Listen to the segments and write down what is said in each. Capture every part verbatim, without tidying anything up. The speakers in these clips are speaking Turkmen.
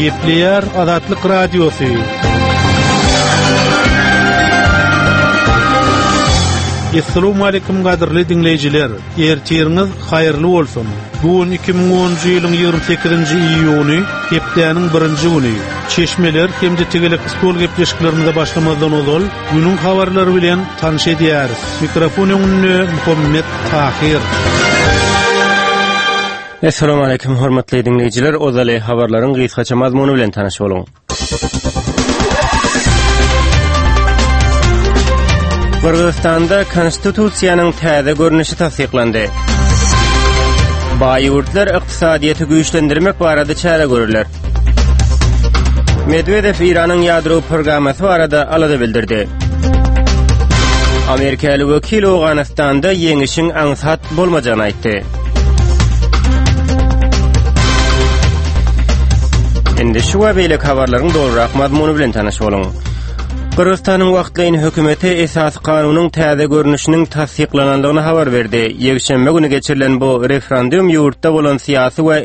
Gepleýär Azatlyk Radiosy. Essalamu aleýkum gadyrly diňleýjiler. Ertiriňiz haýyrly bolsun. Bu gün iki müň onunjy ýylyň ýigrimi sekizinji iýuny, hepdäniň birinji güni. Çeşmeler hem-de tegelek stol gepleşiklerimize başlamazdan ozal, günüň habarlary bilen tanyş edýäris. Mikrofon öňünde Muhammet Tahir. Essalamu aleýkum hormatly diňleýjiler. Ozaly habarlaryň gysgaça mazmuny bilen tanyş boluň. Gyrgyzystanda konstitusiýanyň täze görnüşi tassyklandy. Baý ýurtlar ykdysadyýeti güýçlendirmek barada çäre görürler. Medwedew Eýranyň ýadro programmasy barada alada bildirdi. Amerikaly wekil Owganystanda ýeňişiň aňsat bolmajagyny aýtdy. Indi şu we beýleki habarlaryň dolurak mazmuny bilen tanyş boluň. Gyrgyzystanyň wagtlaýyn hökümeti esasy kanunyň täze görnüşiniň tassyklanandygyny habar berdi. Ýekşenbe güni geçirilen bu referendum ýurtda bolan syýasy we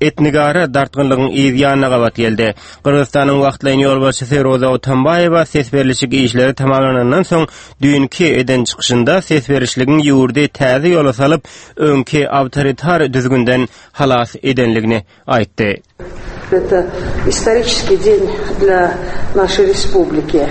etnigara dartgynlygyň yz ýanyna gabat geldi. Gyrgyzystanyň wagtlaýyn ýolbaşçysy Roza Otunbaýewa ses berlişik işleri tamamlanandan soň düýnki eden çykyşynda ses berişligiň ýurdy täze ýola salyp, öňki awtoritar düzgünden halas edenligini aýtdy. Это исторический день для нашей республики.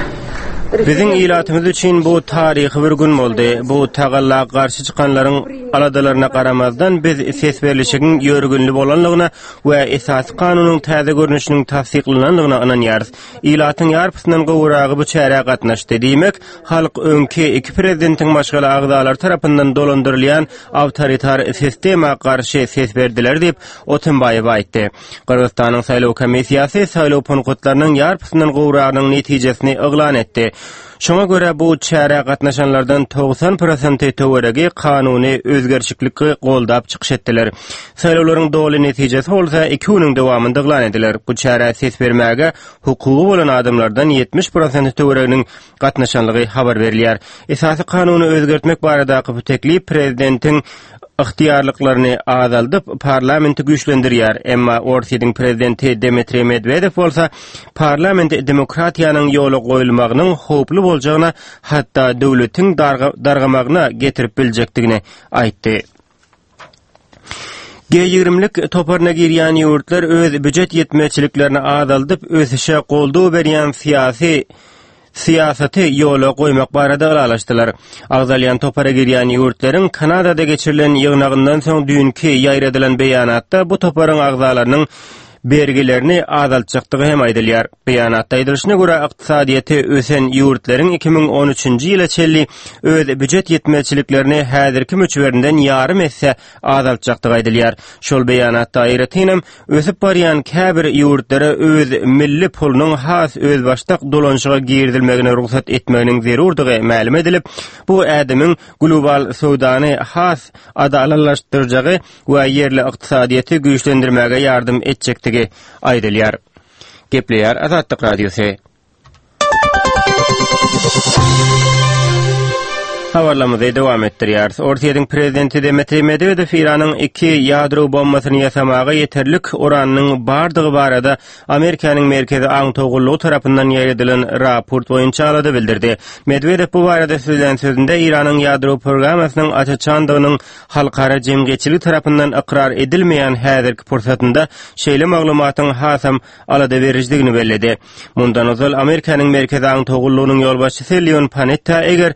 Biziň ilatymyz üçin bu taryhy bir gün boldy. Bu tagalla garşy çykanlaryň aladalaryna garamazdan biz ses berlişigiň ýörgünli bolanlygyna we esasy kanunyň täze görnüşiniň tassyklanandygyna ynanýarys. Ilatyň ýarpysyndan gowragy bu çärä gatnaşdy. Diýmek, halk öňki iki prezidentiň maşgala agzalary tarapyndan dolandyrylýan awtoritar sistema garşy ses berdiler diýip Otunbaýewa aýtdy. Gyrgyzystanyň saýlaw komissiýasy saýlaw punktlarynyň ýarpysyndan gowragynyň netijesini yglan etdi. Şoňa görä bu çärä gatnaşanlardan togsan prosenti töweregi kanuny özgerişikligi goldap çykyş etdiler. Saýlawlaryň doly netijesi bolsa iki günüň dowamynda yglan ediler. Bu çärä ses bermäge hukugy bolan adamlardan ýetmiş prosenti töwereginiň gatnaşanlygy habar berilýär. Esasy kanuny özgertmek baradaky bu teklip prezidentiň ygtyýarlyklaryny azaldyp, parlamenti güýçlendirýär. Emma Orsýetiň prezidenti Dmitriý Medwedew bolsa parlament demokratiýanyň ýola goýulmagynyň howply boljagyna, hatda döwletiň dargamagyna getirip biljekdigini aýtdy. G ýigrimlik toparyna girýän ýurtlar öz büjet ýetmezçiliklerini azaldyp, ösüşe goldaw berýän syýasy syýasaty ýola goýmak barada ylalaşdylar. Agzalýan topara girýän ýurtlaryň Kanadada geçirilen ýygnagyndan soň düýnki ýaýradylan beýanatda bu toparyň agzalarynyň bergilerini azaltjakdygy hem aýdylýar. Beýanatda aýdylyşyna görä ykdysadyýeti ösen ýurtlaryň iki müň on üçünji ýyla çenli öz büjet ýetmezçiliklerini häzirki möçberinden ýarym esse azaltjakdygy aýdylýar. Şol beýanatda aýratynam ösüp barýan käbir ýurtlara öz milli pulunyň has özbaşdak dolanşyga girizilmegine rugsat etmeginiň zerurdygy mälim edilip, bu ädimiň global söwdany has adalatlaşdyrjagy we ýerli ykdysadyýeti güýçlendirmäge ýardam etjekdigi aýdylýar. Gepleýär Azatlyk Radiosy. Habarlarymyzy dowam etdirýäris. Orsýetiň prezidenti Dmitriý Medwedew Eýranyň iki ýadro bombasyny ýasamaga ýeterlik uranynyň bardygy barada Amerikanyň Merkezi Aňtaw gullugy tarapyndan ýaýradylan raport boýunça alada bildirdi. Medwedew bu barada sözlän sözünde Eýranyň ýadro programmasynyň açaçandygynyň halkara jemgyýetçiligi tarapyndan ykrar edilmeýän häzirki pursatynda şeýle maglumatyň hasam alada berijidigini belledi. Mundan ozal Amerikanyň Merkezi Aňtaw gullugynyň ýolbaşçysy Leon Panetta eger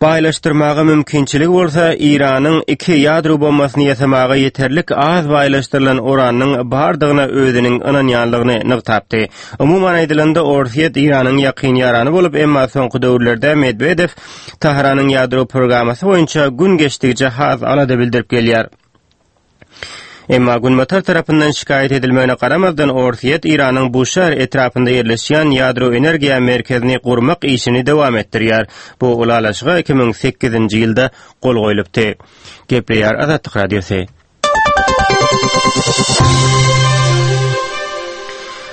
baýlaşdyrmaga mümkinçiligi bolsa, Eýranyň iki ýadro bombasyny ýasamaga ýeterlik az baýlaşdyrylan uranyň bardygyna özüniň ynanýanlygyny nygtapdy. Umuman aýdylanda, Orsýet Eýranyň ýakyn ýarany bolup, emma soňky döwürlerde Medwedew Tahranyň ýadro programmasy boýunça gün geçdigiçe has alada bildirip gelýär. Emma Günbatar tarapyndan şikaýat edilmegine garamazdan Orsýet Eýranyň Buşar etrapynda ýerleşýän ýadro energiýa merkezini gurmak işini dowam etdirýär. Bu ylalaşyga iki müň sekizinji ýylda gol goýlupdy. Gepleýär Azatlyk Radiosy.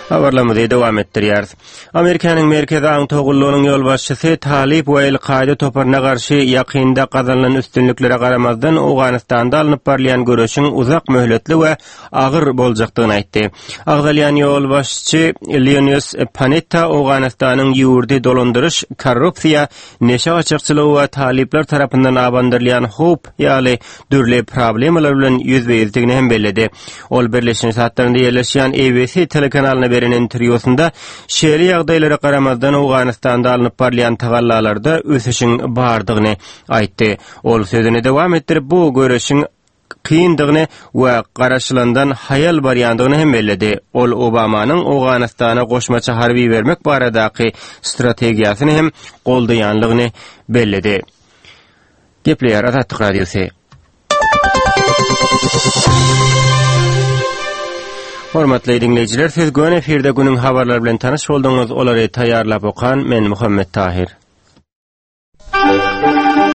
Habarlarymyzy dowam etdirýäris. Amerikanyň Merkezi aňtaw gullugynyň ýolbaşçysy Talyp we El-Kaýda toparyna garşy ýakynda gazanylan üstünliklere garamazdan Owganystanda alnyp barylýan göreşiň uzak möhletli we agyr boljakdygyny aýtdy. Agzalýan ýolbaşçy Leonius Panetta Owganystanyň ýurdy dolandyryş, korrupsiýa, neşe gaçakçylygy we talyplar tarapyndan abandyrylýan howp ýaly dürli problemalar bilen ýüzbe-ýüzdigini hem belledi. Ol Birleşen Ştatlarynda ýerleşýän A B C telekanalyna beren interwýusynda şeýle ýagdaýlara garamazdan Owganystanda alnyp barylýan tagallalarda ösüşiň bardygyny aýtdy. Ol sözüni dowam etdirip, bu göreşiň kyndygyny we garaşylandan haýal barýandygyny hem belledi. Ol Obamanyň Owganystana goşmaça harby bermek baradaky strategiýasyny hem goldaýanlygyny belledi. Gepleýär Azatlyk Radiosy. Hormatly dinleýjiler, siz göni efirde günüň habarlary bilen tanyş bolduňyz. Olary taýýarlap okan men Muhammet Tahir.